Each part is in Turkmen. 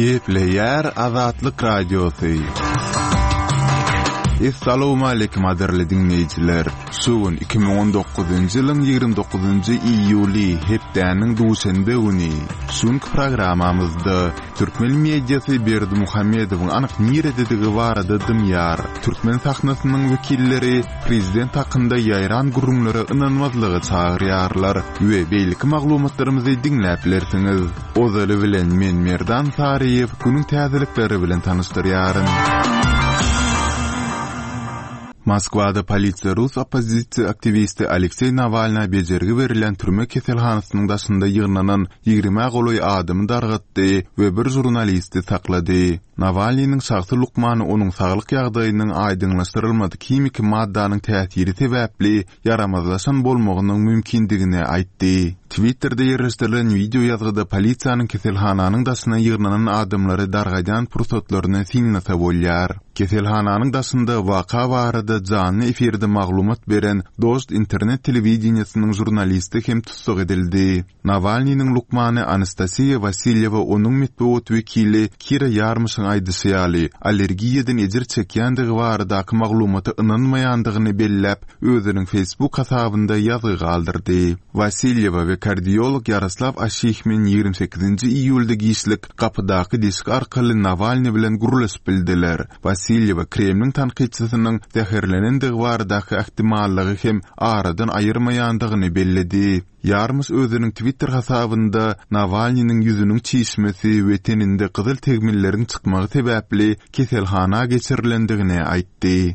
Gepleýär Azatlyk Radiosy. Essalawmaleýkim gadyrly diňleýjiler! Şu gün 2019-njy ýylyň 29-njy iýuly, hepdäniň duşenbe güni. Şu günki programmamyzda türkmen mediasy Berdimuhamedowyň anyk nirededigi barada dymýar. Türkmen sahnasynyň wekilleri prezident hakynda ýaýran gürrüňlere ynanmazlyga çagyrýarlar we beýleki maglumatlarymyzy diňläp bilersiňiz. Ozaly bilen men Merdan Saryýew günüň täzelikleri bilen tanyşdyrýaryn. Moskwada polisiýa rus oppozisiýa aktiwisti Alekseý Nawalna bejergi berilýän türme keselhanasynyň daşynda ýygnanan ýigrimä golaý adamy dargatdy we bir žurnalisti saklady. Nawalnynyň şahsy lukmany onuň saglyk ýagdaýynyň aýdyňlaşdyrylmadyk himiki maddanyň täsiri sebäpli ýaramazlaşan bolmagynyň mümkindigini aýtdy. Twitterde ýerleşdirilen wideo ýazgyda polisiýanyň keselhananyň daşyna ýygnanan adamlary dargadýan pursatlaryny synlasa bolýar. Keselhananyň daşynda waka barada janly efirde maglumat beren Dožd internet telewideniýesiniň žurnalisti hem tussag edildi. Nawalnynyň lukmany Anastasiýa Wasilýewa onuň metbugat wekili Kira Ýarmyşyň aýdyşy ýaly, allergiýadan ejir çekýändigi baradaky maglumata ynanmaýandygyny belläp, özüniň Facebook hasabynda ýazgy galdyrdy. Wasilýewa we kardiolog Ýaroslaw Aşihmin 28-nji iýulda giçlik gapydaky deşik arkaly Nawalnyý bilen gürleşip bildiler. Wasilýewa Kremliň tankytçysynyň zäherlenendigi baradaky ähtimallygy hem aradan aýyrmaýandygyny belledi. Ýarmyş özüniň Twitter hasabynda Nawalnynyň ýüzüniň çişmesi we teninde gyzyl tegmilleriň çykmagy sebäpli keselhana geçirilendigini aýtdy.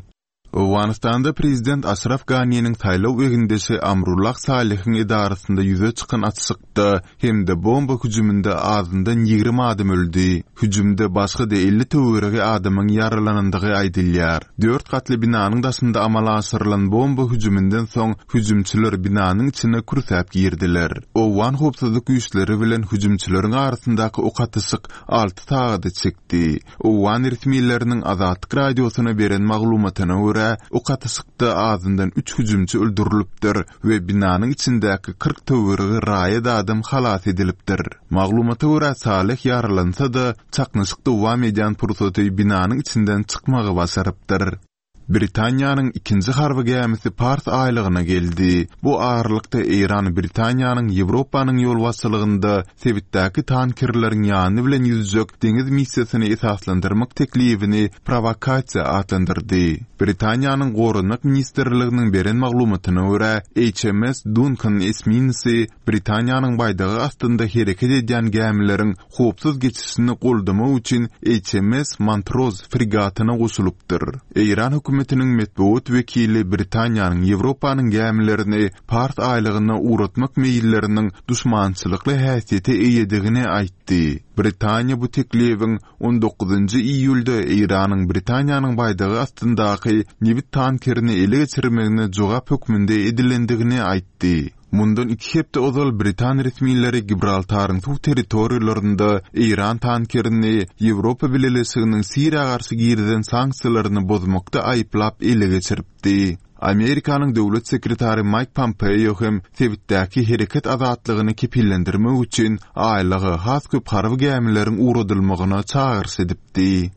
Owganystanda prezident Aşraf Ganiniň saýlaw egindeşi Amrullah Salehiň edarasynda ýüze çykan atyşykda hem-de bomba hüjüminde azyndan 20 adam öldi. Hüjümde başga-da 50 töweregi adamyň ýaralanandygy aýdylýar. Dört gatly binanyň daşynda amala aşyrylan bomba hüjüminden soň hüjümçiler binanyň içine kürsäp girdiler. Owgan howpsuzlyk güýçleri bilen hüjümçileriň arasyndaky ok atyşyk alty sagada çekdi. Owgan resmileriniň Azatlyk Radiosyna beren maglumatyna görä, ok atyşykda azyndan üç hüjümçi öldürilipdir we binanyň içindäki 40 töweregi raýat adam halas edilipdir. Maglumata görä, Saleh ýaralansa-da, çaknyşyk dowam edýän pursaty binanyň içinden çykmagy başarypdyr. Britaniýanyň ikinji harby gämisi Pars aýlagyna geldi. Bu aralykda Eýran Britaniýanyň Ýewropanyň ýolbaşçylygynda sebitdäki tankerleriň ýany bilen ýüzjek deňiz missiýasyny esaslandyrmak teklibini prowokasiýa atlandyrdy. Britaniýanyň Goranmak ministrliginiň beren maglumatyna görä, HMS Duncan esminesi Britaniýanyň baýdagy astynda hereket edýän gämileriň howpsuz geçişini goldamak üçin HMS Montrose fregatyna goşulypdyr. Eýran hökümetiniň metbugat wekili Britaniýanyň Ýewropanyň gämilerini Pars aýlagyna ugratmak meýilleriniň duşmançylykly häsiýete eýedigini aýtdy. Britaniýa bu teklibiň on dokuzynjy iýulda Eýranyň Britaniýanyň baýdagy astyndaky nebit tankerini ele geçirmegine jogap hökmünde edilendigini aýtdy. Mundan iki hepde ozal britan resmileri Gibraltaryň suw territoriýalarynda eýran tankerini Ýewropa Bileleşiginiň Siriýa garşy girizen sanksiýalaryny bozmakda aýyplap ele geçiripdi. Amerikanyň döwlet sekretary Maýk Pompeo hem sebitdäki hereket azatlygyny kepillendirmek üçin aýlaga has köp harby gämileriň ugradylmagyna çagyryş edipdi.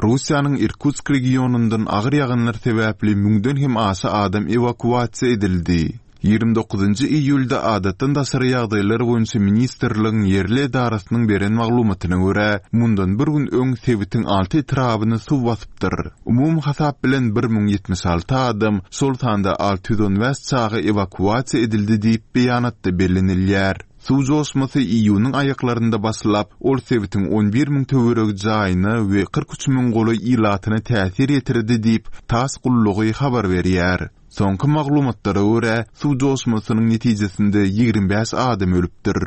Russiýanyň Irkutsk regionyndan agyr ýagynlar sebäpli müňden hem aşa adam ewakuasiýa edildi. 29-njy iýulda Adatdan daşary ýagdaýlar boýunça ministrligiň ýerli edarasynyň beren maglumatyna görä, mundan bir gün öň sebitiň alty etrabyny suw basypdyr. Umumy hasap bilen 1076 adam, şol sanda 615 çaga ewakuasiýa edildi diýip, beýanatda bellenilýär. Suw joşmasy iýunyň aýaklarynda başlap, ol sebitiň 11 müň töweregi jaýyna we 43 müň golaý ilatyna täsir ýetirdi diýip, tass gullugy habar berýär. Soňky maglumatlara görä, suw joşmasynyň netijesinde 25 adam ölüpdir.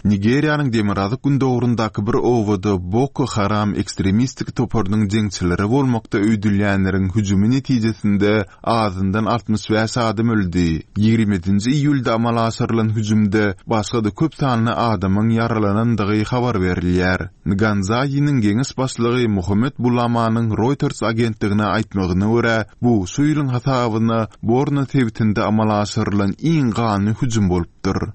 Nigeriýanyň demirgazyk-gündogaryndaky bir obada Boko Haram ekstremistik toparynyň jeňçileri bolmakda öýdülýänleriň hüjümi netijesinde Azyndan 65 adam öldi. 27-nji iýulda amala aşyrylan hüjümde başga-da köp sanly adamyň ýaralanandygy habar berilýär. Nganzaýiniň geňeş başlygy Mohamed Bulamanyň Reuters agentligine aýtmagyna görä, bu şu ýylyň hasabyna Borno sebitinde amala aşyrylan iň ganly hüjüm bolupdyr.